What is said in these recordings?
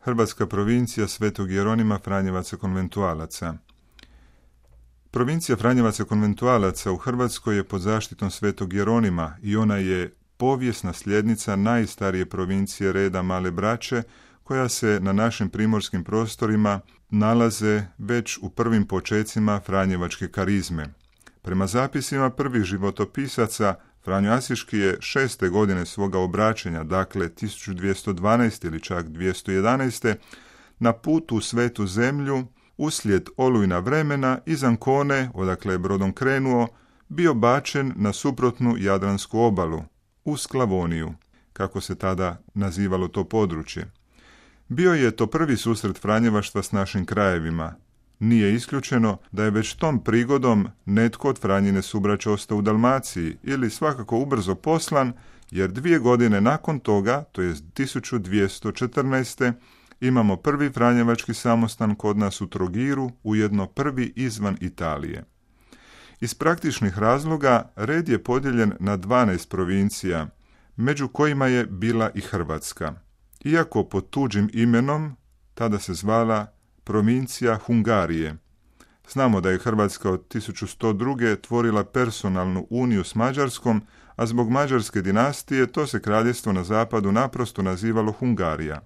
Hrvatska provincija Svetog Jeronima Franjevaca konventualaca. Provincija Franjevaca konventualaca u Hrvatskoj je pod zaštitom Svetog Jeronima i ona je povijesna sljednica najstarije provincije reda Male Braće, koja se na našim primorskim prostorima nalaze već u prvim počecima franjevačke karizme. Prema zapisima prvih životopisaca, Franjo Asiški je 6. godine svoga obraćanja, dakle 1212. ili čak 211. na putu u Svetu zemlju, uslijed olujna vremena iz Ancone, odakle je brodom krenuo, bio bačen na suprotnu Jadransku obalu, u Sklavoniju, kako se tada nazivalo to područje. Bio je to prvi susret franjevaštva s našim krajevima. Nije isključeno da je već tom prigodom netko od Franjine subraća ostao u Dalmaciji ili svakako ubrzo poslan, jer 2 godine nakon toga, to je 1214. imamo prvi franjevački samostan kod nas u Trogiru, ujedno prvi izvan Italije. Iz praktičnih razloga red je podijeljen na 12 provincija, među kojima je bila i Hrvatska. Iako pod tuđim imenom, tada se zvala provincija Hungarije. Znamo da je Hrvatska od 1102. tvorila personalnu uniju s Mađarskom, a zbog mađarske dinastije to se kraljevstvo na zapadu naprosto nazivalo Hungarija.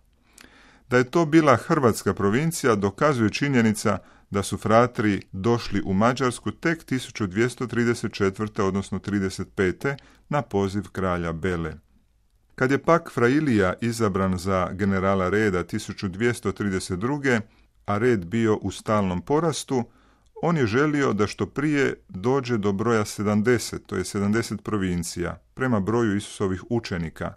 Da je to bila hrvatska provincija dokazuje činjenica da su fratri došli u Mađarsku tek 1234. odnosno 35. na poziv kralja Bele. Kad je pak Fra Ilija izabran za generala reda 1232. a red bio u stalnom porastu, on je želio da što prije dođe do broja 70, to je 70 provincija, prema broju Isusovih učenika,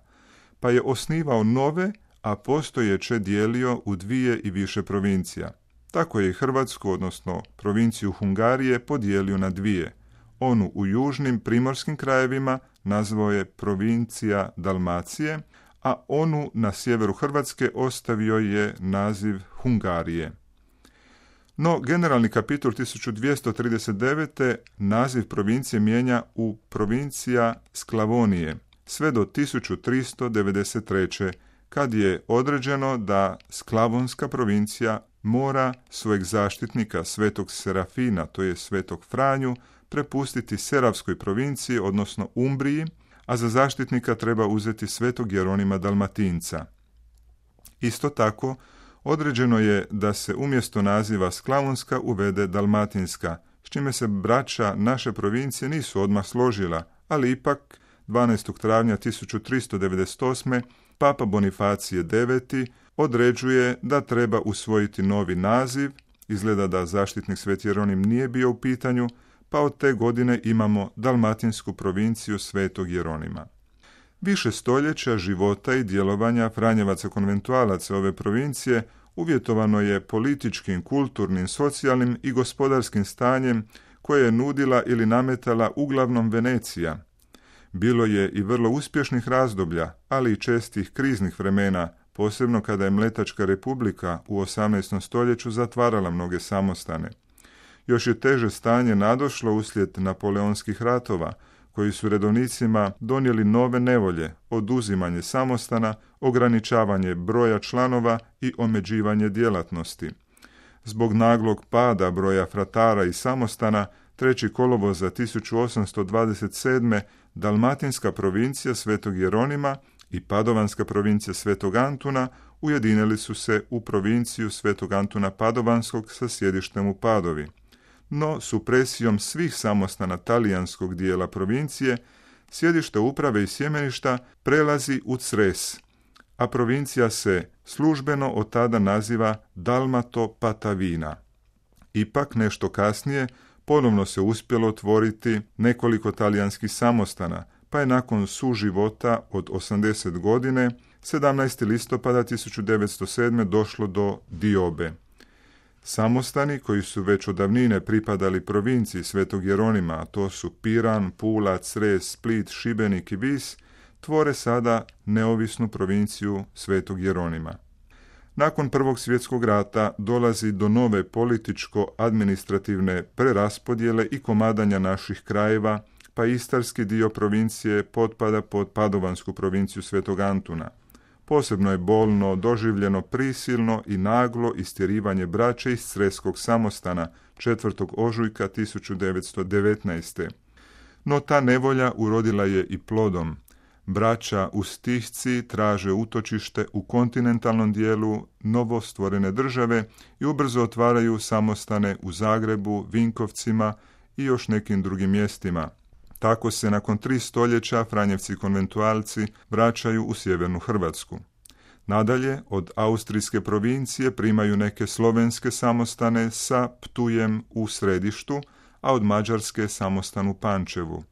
pa je osnivao nove, a postojeće dijelio u 2 i više provincija. Tako je i Hrvatsku, odnosno provinciju Hungarije, podijelio na 2. Onu u južnim primorskim krajevima nazvao je provincija Dalmacije, a onu na sjeveru Hrvatske ostavio je naziv Hungarije. No, generalni kapitol 1239. naziv provincije mijenja u provincija Sklavonije, sve do 1393. kad je određeno da Sklavonska provincija mora svojeg zaštitnika Svetog Serafina, to je Svetog Franju, prepustiti Seravskoj provinciji, odnosno Umbriji, a za zaštitnika treba uzeti Svetog Jeronima Dalmatinca. Isto tako, određeno je da se umjesto naziva Sklavonska uvede Dalmatinska, s čime se braća naše provincije nisu odmah složila, ali ipak 12. travnja 1398. Papa Bonifacije IX. Određuje da treba usvojiti novi naziv, izgleda da zaštitnik Sveti Jeronim nije bio u pitanju, pa od te godine imamo Dalmatinsku provinciju Svetog Jeronima. Više stoljeća života i djelovanja Franjevaca konventualaca ove provincije uvjetovano je političkim, kulturnim, socijalnim i gospodarskim stanjem koje je nudila ili nametala uglavnom Venecija. Bilo je i vrlo uspješnih razdoblja, ali i čestih kriznih vremena, posebno kada je Mletačka republika u 18. stoljeću zatvarala mnoge samostane. Još je teže stanje nadošlo uslijed napoleonskih ratova, koji su redovnicima donijeli nove nevolje, oduzimanje samostana, ograničavanje broja članova i omeđivanje djelatnosti. Zbog naglog pada broja fratara i samostana, 3. kolovoza 1827. Dalmatinska provincija Svetog Jeronima i Padovanska provincija Svetog Antuna ujedinili su se u provinciju Svetog Antuna Padovanskog sa sjedištem u Padovi. No, supresijom svih samostana talijanskog dijela provincije, sjedište uprave i sjemeništa prelazi u Cres, a provincija se službeno od tada naziva Dalmato-Patavina. Ipak, nešto kasnije, ponovno se uspjelo otvoriti nekoliko talijanskih samostana, pa je nakon suživota od 80 godine, 17. listopada 1907. došlo do diobe. Samostani koji su već od davnine pripadali provinciji Svetog Jeronima, a to su Piran, Pula, Cres, Split, Šibenik i Vis, tvore sada neovisnu provinciju Svetog Jeronima. Nakon Prvog svjetskog rata dolazi do nove političko-administrativne preraspodjele i komadanja naših krajeva, pa istarski dio provincije potpada pod Padovansku provinciju Svetog Antuna. Posebno je bolno doživljeno prisilno i naglo istjerivanje braće iz Creskog samostana 4. ožujka 1919. No ta nevolja urodila je i plodom. Braća u Stihci traže utočište u kontinentalnom dijelu novostvorene države i ubrzo otvaraju samostane u Zagrebu, Vinkovcima i još nekim drugim mjestima. Tako se nakon 3 stoljeća Franjevci konventualci vraćaju u sjevernu Hrvatsku. Nadalje, od austrijske provincije primaju neke slovenske samostane sa Ptujem u središtu, a od Mađarske samostan u Pančevu.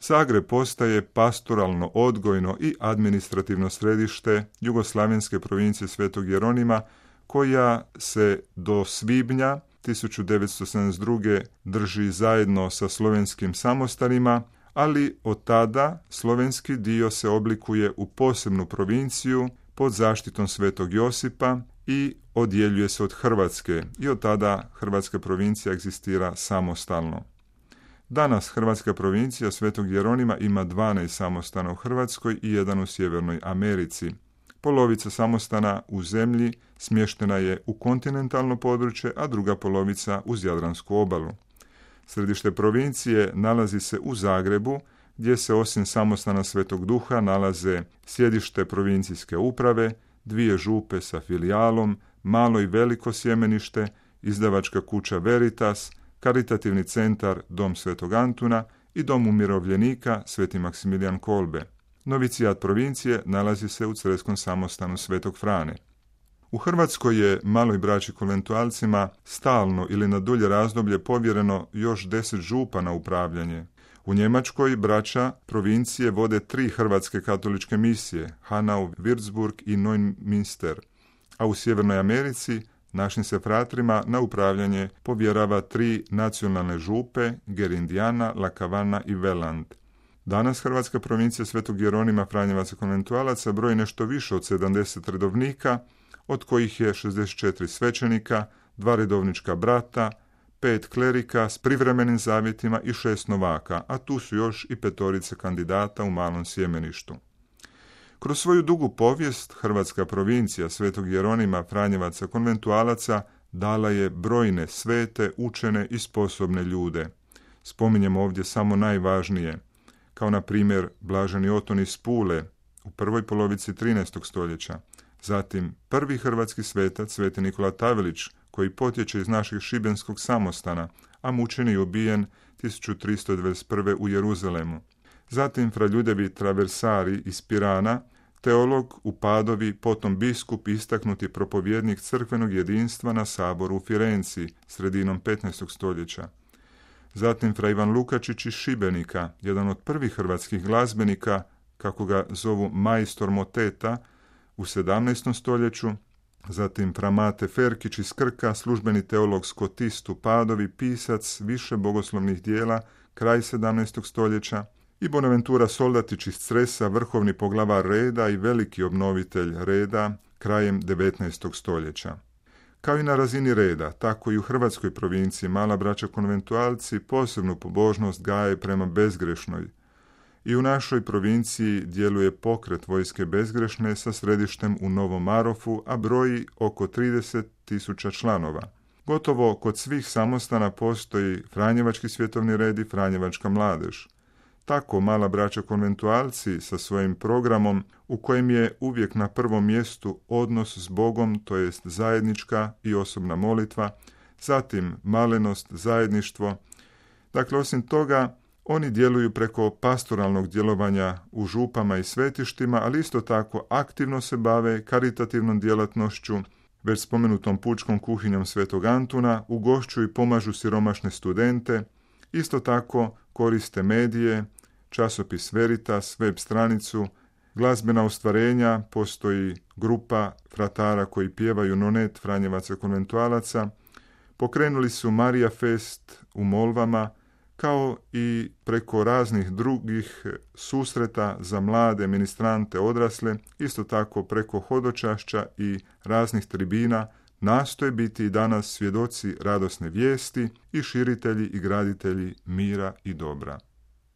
Zagreb postaje pastoralno, odgojno i administrativno središte jugoslavenske provincije Svetog Jeronima, koja se do svibnja 1972. drži zajedno sa slovenskim samostanima, ali od tada slovenski dio se oblikuje u posebnu provinciju pod zaštitom Svetog Josipa i odjeljuje se od Hrvatske i od tada hrvatska provincija egzistira samostalno. Danas hrvatska provincija Svetog Jeronima ima 12 samostana u Hrvatskoj i 1 u Sjevernoj Americi. Polovica samostana u zemlji smještena je u kontinentalno područje, a druga polovica uz Jadransku obalu. Središte provincije nalazi se u Zagrebu, gdje se osim samostana Svetog Duha nalaze sjedište provincijske uprave, 2 župe sa filijalom, malo i veliko sjemenište, izdavačka kuća Veritas, karitativni centar Dom Svetog Antuna i Dom umirovljenika Sveti Maksimilijan Kolbe. Novicijat provincije nalazi se u Creskom samostanu Svetog Frane. U Hrvatskoj je maloj braći konventualcima stalno ili na dulje razdoblje povjereno još 10 župa na upravljanje. U Njemačkoj braća provincije vode 3 hrvatske katoličke misije, Hanau, Würzburg i Neumünster, a u Sjevernoj Americi našim se fratrima na upravljanje povjerava 3 nacionalne župe, Gerindijana, Lakavana i Veland. Danas hrvatska provincija Svetog Jeronima Franjevaca konventualaca broji nešto više od 70 redovnika, od kojih je 64 svećenika, 2 redovnička brata, 5 klerika s privremenim zavjetima i 6 novaka, a tu su još i 5 kandidata u malom sjemeništu. Kroz svoju dugu povijest hrvatska provincija Svetog Jeronima Franjevaca konventualaca dala je brojne svete, učene i sposobne ljude. Spominjemo ovdje samo najvažnije, kao na primjer blaženi Oton iz Pule u prvoj polovici 13. stoljeća, zatim prvi hrvatski svetac Sveti Nikola Tavelić, koji potječe iz našeg šibenskog samostana, a mučen i ubijen 1321. u Jeruzalemu. Zatim fra Ljudevi Traversari iz Pirana, teolog u Padovi, potom biskup, istaknuti propovjednik crkvenog jedinstva na saboru u Firenci sredinom 15. stoljeća. Zatim fra Ivan Lukačić iz Šibenika, jedan od prvih hrvatskih glazbenika, kako ga zovu majstor moteta, u 17. stoljeću. Zatim fra Mate Ferkić iz Krka, službeni teolog skotist u Padovi, pisac više bogoslovnih dijela, kraj 17. stoljeća. I Bonaventura Soldatić iz Cresa, vrhovni poglavar reda i veliki obnovitelj reda, krajem 19. stoljeća. Kao i na razini reda, tako i u hrvatskoj provinciji mala braća konventualci posebnu pobožnost gaje prema bezgrešnoj. I u našoj provinciji djeluje pokret vojske bezgrešne sa središtem u Novom Marofu, a broji oko 30.000 članova. Gotovo kod svih samostana postoji Franjevački svjetovni red i Franjevačka mladež. Tako mala braća konventualci sa svojim programom, u kojem je uvijek na prvom mjestu odnos s Bogom, to jest zajednička i osobna molitva, zatim malenost, zajedništvo. Dakle, osim toga, oni djeluju preko pastoralnog djelovanja u župama i svetištima, ali isto tako aktivno se bave karitativnom djelatnošću, već spomenutom pučkom kuhinjom Svetog Antuna, ugošću i pomažu siromašne studente, isto tako koriste medije, časopis Veritas, web stranicu, glazbena ostvarenja, postoji grupa fratara koji pjevaju nonet Franjevaca konventualaca, pokrenuli su Marija Fest u Molvama, kao i preko raznih drugih susreta za mlade, ministrante, odrasle, isto tako preko hodočašća i raznih tribina, nastoje biti i danas svjedoci radosne vijesti i širitelji i graditelji mira i dobra.